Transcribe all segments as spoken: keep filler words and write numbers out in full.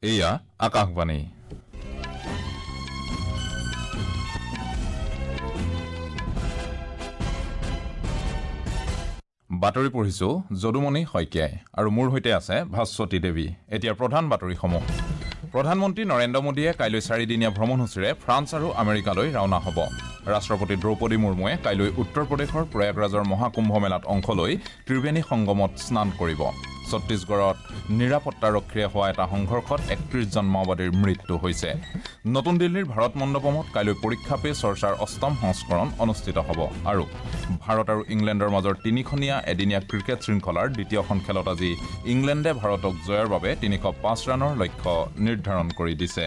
এয়া আকাশবাণী। বাতৰি পঢ়িছো যদুমণি শইকীয়াই আৰু মোৰ সৈতে আছে ভাস্বতী দেৱী। এতিয়া প্ৰধান বাতৰিসমূহ। প্ৰধানমন্ত্ৰী নৰেন্দ্ৰ মোদীয়ে কাইলৈ চাৰিদিনীয়া ভ্ৰমণসূচীৰে ফ্ৰান্স আৰু আমেৰিকালৈ ৰাওনা হ'ব। ৰাষ্ট্ৰপতি দ্ৰৌপদী মুৰ্মুৱে কাইলৈ উত্তৰ প্ৰদেশৰ প্ৰয়াগৰাজৰ মহাকুম্ভ মেলাত অংশ লৈ ত্ৰিবেণী সংগমত স্নান কৰিব। ছত্তীশগড়ত নিৰাপত্তাৰক্ষীৰে হোৱা এটা সংঘৰ্ষত একত্ৰিশজন মাওবাদীৰ মৃত্যু হৈছে। নতুন দিল্লীৰ ভাৰত মণ্ডপমত কাইলৈ পৰীক্ষা পে চৰ্চাৰ অষ্টম সংস্কৰণ অনুষ্ঠিত হ'ব। আৰু ভাৰত আৰু ইংলেণ্ডৰ মাজৰ তিনিখনীয়া এদিনীয়া ক্ৰিকেট শৃংখলাৰ দ্বিতীয়খন খেলত আজি ইংলেণ্ডে ভাৰতক জয়ৰ বাবে তিনিশ পাঁচ ৰানৰ লক্ষ্য নিৰ্ধাৰণ কৰি দিছে।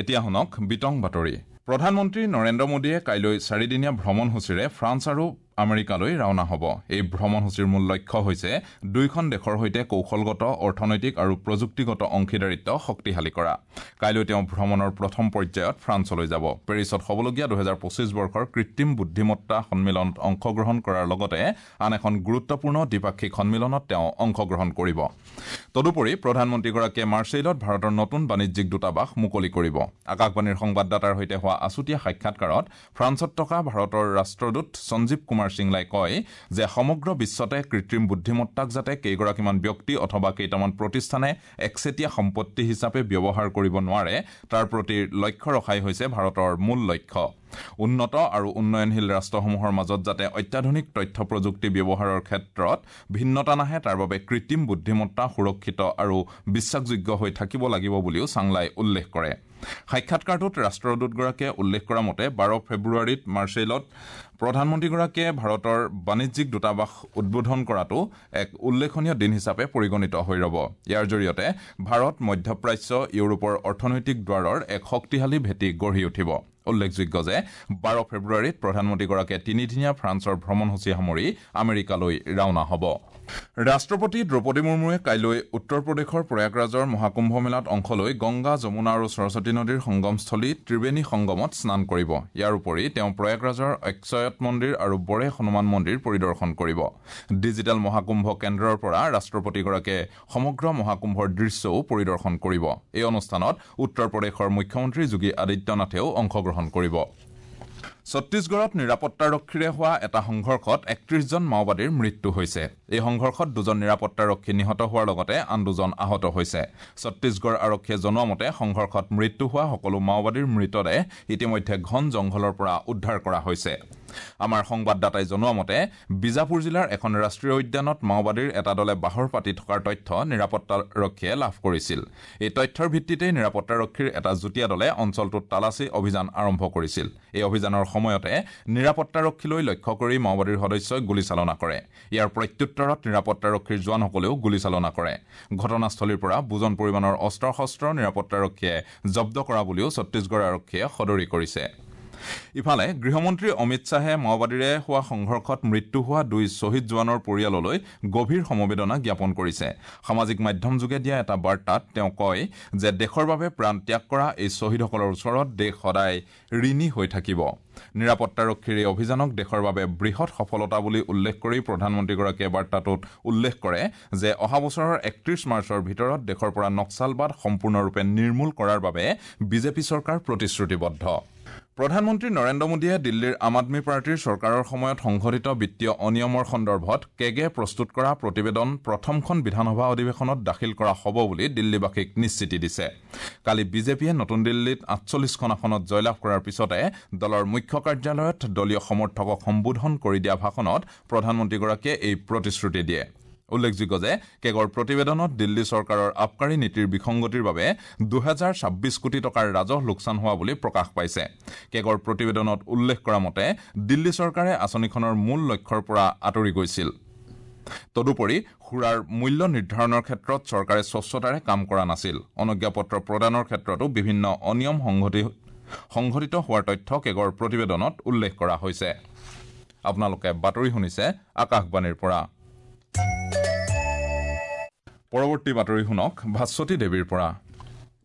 এতিয়া শুনক বিতং বাতৰি। প্ৰধানমন্ত্ৰী নৰেন্দ্ৰ মোদীয়ে কাইলৈ চাৰিদিনীয়া ভ্ৰমণসূচীৰে ফ্ৰান্স আৰু আমেৰিকালৈ ৰাওনা হ'ব। এই ভ্ৰমণসূচীৰ মূল লক্ষ্য হৈছে দুয়োখন দেশৰ সৈতে কৌশলগত, অৰ্থনৈতিক আৰু প্ৰযুক্তিগত অংশীদাৰিত্ব শক্তিশালী কৰা। কাইলৈ তেওঁ ভ্ৰমণৰ প্ৰথম পৰ্যায়ত ফ্ৰান্সলৈ যাব। পেৰিছত হ'বলগীয়া দুহেজাৰ পঁচিছ বৰ্ষৰ কৃত্ৰিম বুদ্ধিমত্তা সন্মিলনত অংশগ্ৰহণ কৰাৰ লগতে আন এখন গুৰুত্বপূৰ্ণ দ্বিপাক্ষিক সন্মিলনত তেওঁ অংশগ্ৰহণ কৰিব। তদুপৰি প্ৰধানমন্ত্ৰীগৰাকীয়ে মাৰ্চেইলত ভাৰতৰ নতুন বাণিজ্যিক দূতাবাস মুকলি কৰিব। আকাশবাণীৰ সংবাদদাতাৰ সৈতে হোৱা আছুতীয়া সাক্ষাৎকাৰত ফ্ৰান্সত থকা ভাৰতৰ ৰাষ্ট্ৰদূত সঞ্জীৱ কুমাৰ সিংলাই কয় যে সমগ্ৰ বিশ্বতে কৃত্ৰিম বুদ্ধিমত্তাক যাতে কেইগৰাকীমান ব্যক্তি অথবা কেইটামান প্ৰতিষ্ঠানে একচেটিয়া সম্পত্তি হিচাপে ব্যৱহাৰ কৰিব নোৱাৰে তাৰ প্ৰতি লক্ষ্য ৰখাই হৈছে ভাৰতৰ মূল লক্ষ্য। উন্নত আৰু উন্নয়নশীল ৰাষ্ট্ৰসমূহৰ মাজত যাতে অত্যাধুনিক তথ্য প্ৰযুক্তি ব্যৱহাৰৰ ক্ষেত্ৰত ভিন্নতা নাহে তাৰ বাবে কৃত্ৰিম বুদ্ধিমত্তা সুৰক্ষিত আৰু বিশ্বাসযোগ্য হৈ থাকিব লাগিব বুলিও চাংলাই উল্লেখ কৰে। সাক্ষাৎকাৰটোত ৰাষ্ট্ৰদূতগৰাকীয়ে উল্লেখ কৰা মতে বাৰ ফেব্ৰুৱাৰীত মাৰ্চেইলত প্ৰধানমন্ত্ৰীগৰাকীয়ে ভাৰতৰ বাণিজ্যিক দূতাবাস উদ্বোধন কৰাটো এক উল্লেখনীয় দিন হিচাপে পৰিগণিত হৈ ৰ'ব। ইয়াৰ জৰিয়তে ভাৰত মধ্যপ্ৰাচ্য ইউৰোপৰ অৰ্থনৈতিক দ্বাৰৰ এক শক্তিশালী ভেটি গঢ়ি উঠিব। উল্লেখযোগ্য যে বাৰ ফেব্ৰুৱাৰীত প্ৰধানমন্ত্ৰীগৰাকীয়ে তিনিদিনীয়া ফ্ৰান্সৰ ভ্ৰমণসূচী সামৰি আমেৰিকালৈ ৰাওনা হ'ব। ৰাষ্ট্ৰপতি দ্ৰৌপদী মুৰ্মুৱে কাইলৈ উত্তৰ প্ৰদেশৰ প্ৰয়াগৰাজৰ মহাকুম্ভ মেলাত অংশ লৈ গংগা, যমুনা আৰু সৰস্বতী নদীৰ সংগমস্থলী ত্ৰিবেণী সংগমত স্নান কৰিব। ইয়াৰ উপৰি তেওঁ প্ৰয়াগৰাজৰ অক্ষয়ত মন্দিৰ আৰু বৰে হনুমান মন্দিৰ পৰিদৰ্শন কৰিব। ডিজিটেল মহাকুম্ভ কেন্দ্ৰৰ পৰা ৰাষ্ট্ৰপতিগৰাকীয়ে সমগ্ৰ মহাকুম্ভৰ দৃশ্যও পৰিদৰ্শন কৰিব। এই অনুষ্ঠানত উত্তৰ প্ৰদেশৰ মুখ্যমন্ত্ৰী যোগী আদিত্যনাথেও অংশগ্ৰহণ কৰিব। ছত্তীশগড়ত নিৰাপত্তাৰক্ষীৰে হোৱা এটা সংঘৰ্ষত একত্ৰিশজন মাওবাদীৰ মৃত্যু হৈছে। এই সংঘৰ্ষত দুজন নিৰাপত্তাৰক্ষী নিহত হোৱাৰ লগতে আন দুজন আহত হৈছে। ছত্তীশগড় আৰক্ষীয়ে জনোৱা মতে সংঘৰ্ষত মৃত্যু হোৱা সকলো মাওবাদীৰ মৃতদেহ ইতিমধ্যে ঘন জংঘলৰ পৰা উদ্ধাৰ কৰা হৈছে। আমাৰ সংবাদদাতাই জনোৱা মতে বিজাপুৰ জিলাৰ এখন ৰাষ্ট্ৰীয় উদ্যানত মাওবাদীৰ এটা দলে বাহৰ পাতি থকাৰ তথ্য নিৰাপত্তাৰক্ষীয়ে লাভ কৰিছিল। এই তথ্যৰ ভিত্তিতেই নিৰাপত্তাৰক্ষীৰ এটা যুটীয়া দলে অঞ্চলটোত তালাচী অভিযান আৰম্ভ কৰিছিল। এই অভিযানৰ সময়তে নিৰাপত্তাৰক্ষীলৈ লক্ষ্য কৰি মাওবাদীৰ সদস্যই গুলীচালনা কৰে। ইয়াৰ প্ৰত্যুত্তৰত নিৰাপত্তাৰক্ষীৰ জোৱানসকলেও গুলীচালনা কৰে। ঘটনাস্থলীৰ পৰা বুজন পৰিমাণৰ অস্ত্ৰ শস্ত্ৰ নিৰাপত্তাৰক্ষীয়ে জব্দ কৰা বুলিও ছত্তীশগড় আৰক্ষীয়ে সদৰি কৰিছে। ইফালে গৃহমন্ত্ৰী অমিত শ্বাহে মাওবাদীৰে হোৱা সংঘৰ্ষত মৃত্যু হোৱা দুই শ্বহীদ জোৱানৰ পৰিয়াললৈ গভীৰ সমবেদনা জ্ঞাপন কৰিছে। সামাজিক মাধ্যমযোগে দিয়া এটা বাৰ্তাত তেওঁ কয় যে দেশৰ বাবে প্ৰাণ ত্যাগ কৰা এই শ্বহীদসকলৰ ওচৰত দেশ সদায় ঋণী হৈ থাকিব। নিৰাপত্তাৰক্ষীৰ এই অভিযানক দেশৰ বাবে বৃহৎ সফলতা বুলি উল্লেখ কৰি প্ৰধানমন্ত্ৰীগৰাকীয়ে বাৰ্তাটোত উল্লেখ কৰে যে অহা বছৰৰ একত্ৰিশ মাৰ্চৰ ভিতৰত দেশৰ পৰা নক্সালবাদ সম্পূৰ্ণৰূপে নিৰ্মূল কৰাৰ বাবে বিজেপি চৰকাৰ প্ৰতিশ্ৰুতিবদ্ধ। প্ৰধানমন্ত্ৰী নৰেন্দ্ৰ মোদীয়ে দিল্লীৰ আম আদমী পাৰ্টীৰ চৰকাৰৰ সময়ত সংঘটিত বিত্তীয় অনিয়মৰ সন্দৰ্ভত কেগে প্ৰস্তুত কৰা প্ৰতিবেদন প্ৰথমখন বিধানসভা অধিৱেশনত দাখিল কৰা হ'ব বুলি দিল্লীবাসীক নিশ্চিতি দিছে। কালি বিজেপিয়ে নতুন দিল্লীত আঠচল্লিছখন আসনত জয়লাভ কৰাৰ পিছতে দলৰ মুখ্য কাৰ্যালয়ত দলীয় সমৰ্থকক সম্বোধন কৰি দিয়া ভাষণত প্ৰধানমন্ত্ৰীগৰাকীয়ে এই প্ৰতিশ্ৰুতি দিয়ে। উল্লেখযোগ্য যে কেগৰ প্ৰতিবেদনত দিল্লী চৰকাৰৰ আবকাৰী নীতিৰ বিসংগতিৰ বাবে দুহেজাৰ ছাব্বিছ কোটি টকাৰ ৰাজহ লোকচান হোৱা বুলি প্ৰকাশ পাইছে। কেগৰ প্ৰতিবেদনত উল্লেখ কৰা মতে দিল্লী চৰকাৰে আঁচনিখনৰ মূল লক্ষ্যৰ পৰা আঁতৰি গৈছিল। তদুপৰি সুৰাৰ মূল্য নিৰ্ধাৰণৰ ক্ষেত্ৰত চৰকাৰে স্বচ্ছতাৰে কাম কৰা নাছিল। অনুজ্ঞাপত্ৰ প্ৰদানৰ ক্ষেত্ৰতো বিভিন্ন অনিয়ম সংঘটিত হোৱাৰ তথ্য কেগৰ প্ৰতিবেদনত উল্লেখ কৰা হৈছে। আপোনালোকে বাতৰি শুনিছে আকাশবাণীৰ পৰা। পৰৱৰ্তী বাতৰি শুনক ভাস্বতী দেৱীৰ পৰা।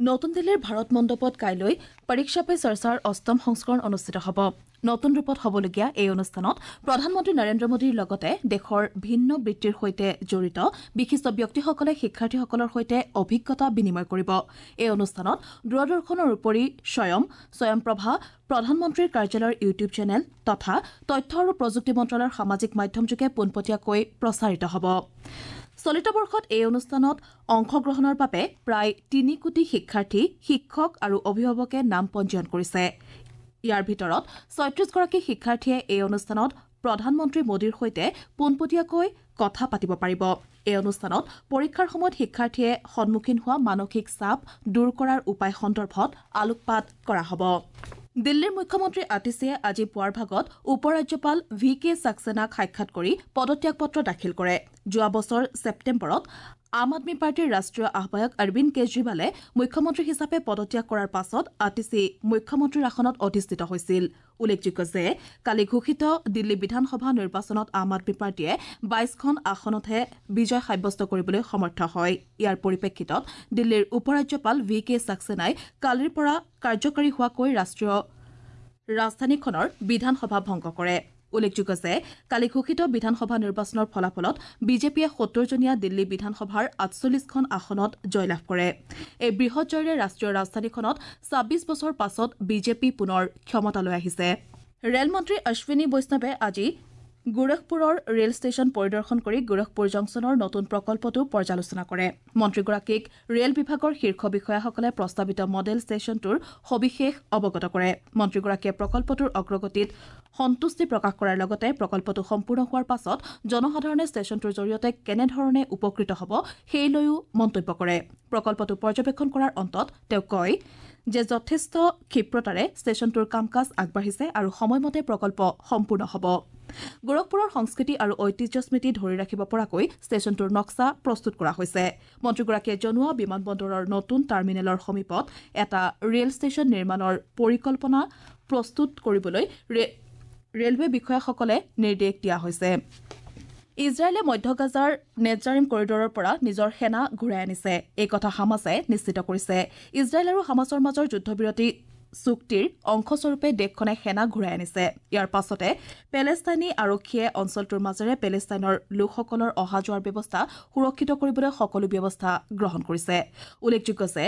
নতুন দিল্লীৰ ভাৰত মণ্ডপত কাইলৈ পৰীক্ষা পে চৰ্চাৰ অষ্টম সংস্কৰণ অনুষ্ঠিত হ'ব। নতুন ৰূপত হ'বলগীয়া এই অনুষ্ঠানত প্ৰধানমন্ত্ৰী নৰেন্দ্ৰ মোদীৰ লগতে দেশৰ ভিন্ন বৃত্তিৰ সৈতে জড়িত বিশিষ্ট ব্যক্তিসকলে শিক্ষাৰ্থীসকলৰ সৈতে অভিজ্ঞতা বিনিময় কৰিব। এই অনুষ্ঠানত দূৰদৰ্শনৰ উপৰি স্বয়ং স্বয়ংপ্ৰভা, প্ৰধানমন্ত্ৰীৰ কাৰ্যালয়ৰ ইউটিউব চেনেল তথা তথ্য আৰু প্ৰযুক্তি মন্ত্ৰালয়ৰ সামাজিক মাধ্যমযোগে পোনপটীয়াকৈ প্ৰচাৰিত হ'ব। চলিত বৰ্ষত এই অনুষ্ঠানত অংশগ্ৰহণৰ বাবে প্ৰায় তিনি কোটি শিক্ষাৰ্থী, শিক্ষক আৰু অভিভাৱকে নাম পঞ্জীয়ন কৰিছে। ইয়াৰ ভিতৰত ছয়ত্ৰিশগৰাকী শিক্ষাৰ্থীয়ে এই অনুষ্ঠানত প্ৰধানমন্ত্ৰী মোদীৰ সৈতে পোনপটীয়াকৈ কথা পাতিব পাৰিব। এই অনুষ্ঠানত পৰীক্ষাৰ সময়ত শিক্ষাৰ্থীয়ে সন্মুখীন হোৱা মানসিক চাপ দূৰ কৰাৰ উপায় সন্দৰ্ভত আলোকপাত কৰা হ'ব। দিল্লীৰ মুখ্যমন্ত্ৰী আতিশীয়ে আজি পুৱাৰ ভাগত উপ ৰাজ্যপাল ভি কে ছাক্সেনাক সাক্ষাৎ কৰি পদত্যাগ পত্ৰ দাখিল কৰে। যোৱা বছৰ ছেপ্টেম্বৰত আম আদমী পাৰ্টীৰ ৰাষ্ট্ৰীয় আহ্বায়ক অৰবিন্দ কেজৰিৱালে মুখ্যমন্ত্ৰী হিচাপে পদত্যাগ কৰাৰ পাছত আতিশী মুখ্যমন্ত্ৰীৰ আসনত অধিষ্ঠিত হৈছিল। উল্লেখযোগ্য যে কালি ঘোষিত দিল্লী বিধানসভা নিৰ্বাচনত আম আদমী পাৰ্টীয়ে বাইশখন আসনতহে বিজয় সাব্যস্ত কৰিবলৈ সমৰ্থ হয়। ইয়াৰ পৰিপ্ৰেক্ষিতত দিল্লীৰ উপ ৰাজ্যপাল ভি কে ছাক্সেনাই কালিৰ পৰা কাৰ্যকৰী হোৱাকৈ ৰাষ্ট্ৰীয় ৰাজধানীখনৰ বিধানসভা ভংগ কৰে। উল্লেখযোগ্য যে কালি ঘোষিত বিধানসভা নিৰ্বাচনৰ ফলাফলত বিজেপিয়ে সত্তৰজনীয়া দিল্লী বিধানসভাৰ আঠচল্লিশখন আসনত জয়লাভ কৰে। এই বৃহৎ জয়ৰে ৰাষ্ট্ৰীয় ৰাজধানীখনত ছাব্বিছ বছৰ পাছত বিজেপি পুনৰ ক্ষমতালৈ আহিছে। ৰেলমন্ত্ৰী অশ্বিনী বৈষ্ণৱে আজি গোৰখপুৰৰ ৰেল ষ্টেচন পৰিদৰ্শন কৰি গোৰখপুৰ জংচনৰ নতুন প্ৰকল্পটো পৰ্যালোচনা কৰে। মন্ত্ৰীগৰাকীক ৰেল বিভাগৰ শীৰ্ষ বিষয়াসকলে প্ৰস্তাৱিত মডেল ষ্টেচনটোৰ সবিশেষ অৱগত কৰে। মন্ত্ৰীগৰাকীয়ে প্ৰকল্পটোৰ অগ্ৰগতিত সন্তুষ্টি প্ৰকাশ কৰাৰ লগতে প্ৰকল্পটো সম্পূৰ্ণ হোৱাৰ পাছত জনসাধাৰণে ষ্টেচনটোৰ জৰিয়তে কেনেধৰণে উপকৃত হ'ব সেই লৈও মন্তব্য কৰে। প্ৰকল্পটো পৰ্যবেক্ষণ কৰাৰ অন্তত তেওঁ কয় যে যথেষ্ট ক্ষিপ্ৰতাৰে ষ্টেচনটোৰ কাম কাজ আগবাঢ়িছে আৰু সময়মতে প্ৰকল্প সম্পূৰ্ণ হ'ব। গোৰখপুৰৰ সংস্কৃতি আৰু ঐতিহ্য স্মৃতি ধৰি ৰাখিব পৰাকৈ ষ্টেচনটোৰ নক্সা প্ৰস্তুত কৰা হৈছে। মন্ত্ৰীগৰাকীয়ে জনোৱা বিমানবন্দৰৰ নতুন টাৰ্মিনেলৰ সমীপত এটা ৰেল ষ্টেচন নিৰ্মাণৰ পৰিকল্পনা প্ৰস্তুত কৰিবলৈ ৰেলৱে বিষয়াসকলে নিৰ্দেশ দিয়া হৈছে। ইজৰাইলে মধ্য গাজাৰ নেটজাৰিম কৰিডৰৰ পৰা নিজৰ সেনা ঘূৰাই আনিছে। এই কথা হামাছে নিশ্চিত কৰিছে। ইজৰাইল আৰু হামাছৰ মাজৰ যুদ্ধবিৰতি চুক্তিৰ অংশস্বৰূপে দেশখনে সেনা ঘূৰাই আনিছে। ইয়াৰ পাছতে পেলেষ্টাইনী আৰক্ষীয়ে অঞ্চলটোৰ মাজেৰে পেলেষ্টাইনৰ লোকসকলৰ অহা যোৱাৰ ব্যৱস্থা সুৰক্ষিত কৰিবলৈ সকলো ব্যৱস্থা গ্ৰহণ কৰিছে। উল্লেখযোগ্য যে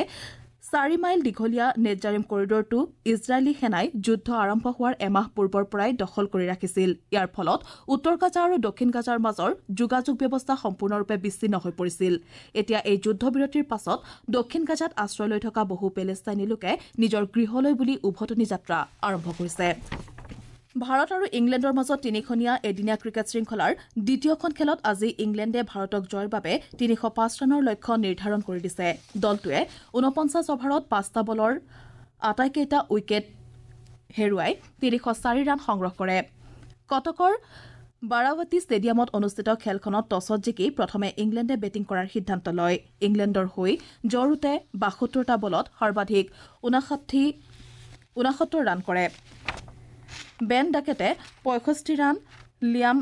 চাৰি মাইল দীঘলীয়া নেটজাৰিম কৰিডৰটো ইজৰাইলী সেনাই যুদ্ধ আৰম্ভ হোৱাৰ এমাহ পূৰ্বৰ পৰাই দখল কৰি ৰাখিছিল। ইয়াৰ ফলত উত্তৰ গাজা আৰু দক্ষিণ গাজাৰ মাজৰ যোগাযোগ ব্যৱস্থা সম্পূৰ্ণৰূপে বিচ্ছিন্ন হৈ পৰিছিল। এতিয়া এই যুদ্ধবিৰতিৰ পাছত দক্ষিণ গাজাত আশ্ৰয় লৈ থকা বহু পেলেষ্টাইনী লোকে নিজৰ গৃহলৈ বুলি উভতনি যাত্ৰা আৰম্ভ কৰিছে। ভাৰত আৰু ইংলেণ্ডৰ মাজত তিনিখনীয়া এদিনীয়া ক্ৰিকেট শৃংখলাৰ দ্বিতীয়খন খেলত আজি ইংলেণ্ডে ভাৰতক জয়ৰ বাবে তিনিশ পাঁচ ৰানৰ লক্ষ্য নিৰ্ধাৰণ কৰি দিছে। দলটোৱে ঊনপঞ্চাছ অভাৰত পাঁচটা বলৰ আটাইকেইটা উইকেট হেৰুৱাই তিনিশ চাৰি ৰান সংগ্ৰহ কৰে। কটকৰ বাৰাৱতী ষ্টেডিয়ামত অনুষ্ঠিত খেলখনত টছত জিকি প্ৰথমে ইংলেণ্ডে বেটিং কৰাৰ সিদ্ধান্ত লয়। ইংলেণ্ডৰ হৈ জ ৰুটে বাসত্তৰটা বলত সৰ্বাধিক ঊনষাঠি ঊনসত্তৰ ৰান কৰে। বেন ডাকেটে পঁয়ষষ্ঠি ৰান, লিয়াম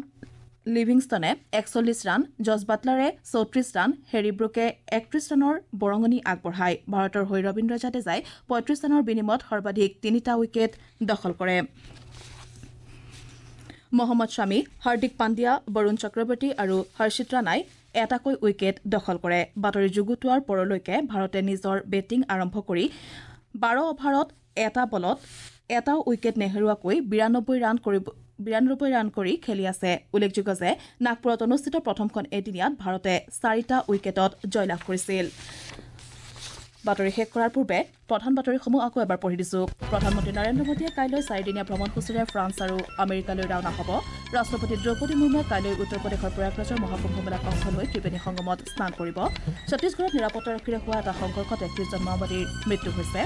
লিভিংষ্টনে একচল্লিছ ৰান, জছ বাটলাৰে চৌত্ৰিছ ৰান, হেৰী ব্ৰুকে একত্ৰিছ ৰানৰ বৰঙণি আগবঢ়ায়। ভাৰতৰ হৈ ৰবীন্দ্ৰ জাদেজাই পঁয়ত্ৰিছ ৰানৰ বিনিময়ত সৰ্বাধিক তিনিটা উইকেট দখল কৰে। মহম্মদ শামী, হাৰ্দিক পাণ্ডিয়া, বৰুণ চক্ৰৱৰ্তী আৰু হৰ্ষিত ৰাণাই এটাকৈ উইকেট দখল কৰে। বাতৰি যুগুতোৱাৰ পৰলৈকে ভাৰতে নিজৰ বেটিং আৰম্ভ কৰি বাৰ অভাৰত এটা বলত এটাও উইকেট নেহেৰুৱাকৈ বিৰানব্বৈ ৰান কৰিব বিৰানব্বৈ ৰান কৰি খেলি আছে। উল্লেখযোগ্য যে নাগপুৰত অনুষ্ঠিত প্ৰথমখন এদিনীয়াত ভাৰতে চাৰিটা উইকেটত জয়লাভ কৰিছিল। বাতৰি শেষ কৰাৰ পূৰ্বে প্ৰধান বাতৰিসমূহ আকৌ এবাৰ পঢ়ি দিছো। প্ৰধানমন্ত্ৰী নৰেন্দ্ৰ মোদীয়ে কাইলৈ চাৰিদিনীয়া ভ্ৰমণসূচীৰে ফ্ৰান্স আৰু আমেৰিকালৈ ৰাওনা হ'ব। ৰাষ্ট্ৰপতি দ্ৰৌপদী মুৰ্মুৱে কাইলৈ উত্তৰ প্ৰদেশৰ প্ৰয়াগৰাজৰ মহাকুম্ভ মেলাত অংশ লৈ ত্ৰিবেণী সংগমত স্নান কৰিব। ছত্তীশগড়ত নিৰাপত্তাৰক্ষীৰে হোৱা এটা সংঘৰ্ষত একত্ৰিশজন মাওবাদীৰ মৃত্যু হৈছে।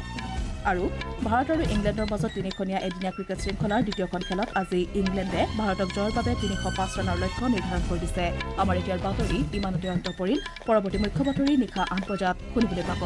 আৰু ভাৰত আৰু ইংলেণ্ডৰ মাজত তিনিখনীয়া এদিনীয়া ক্ৰিকেট শৃংখলাৰ দ্বিতীয়খন খেলত আজি ইংলেণ্ডে ভাৰতক জয়ৰ বাবে তিনিশ পাঁচ ৰানৰ লক্ষ্য নিৰ্ধাৰণ কৰি দিছে। আমাৰ এতিয়াৰ বাতৰি ইমানতে অন্ত পৰিল। পৰৱৰ্তী মুখ্য বাতৰি নিশা আঠ বজাত শুনিবলৈ পাব।